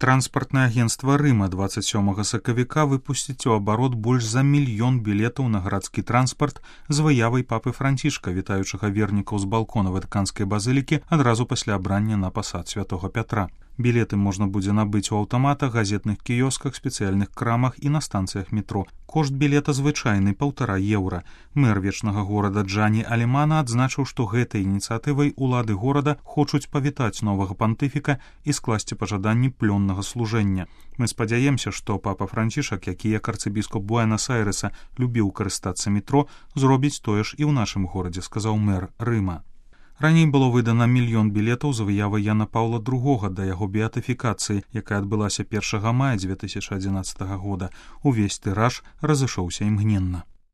Транспартнае агенцтва Рыма 27 сакавіка выпусціць у абарот больш за 1 мільён білетаў на гарадскі транспарт з выявай папы Францішка, вітаючага вернікаў з балкона ватыканскай базылікі адразу пасля абрання на пасад святога Пятра. Білеты можна будзе набыць у аўтаматах, газетных кіёсках, спецыяльных крамах і на станцыях метро. Кошт білета звычайны — 1,5 еўра. Мэр вечнага горада Джані Алімана адзначыў, што гэтай ініцыятывай улады горада хочуць павітаць новага пантыфіка і скласці пажаданні плённага служэння. Мы спадзяемся, што папа Францішак, які як арцыбіскоп Буэнас-Айрэса любіў карыстацца метро, зробіць тое ж і ў нашым горадзе, сказаў мэр Рыма. Раней было выдана 1 мільён білетаў з выявай Яна Паўла II да яго беатыфікацыі, якая адбылася 1 мая 2011 года. Увесь тыраж разышоўся імгненна.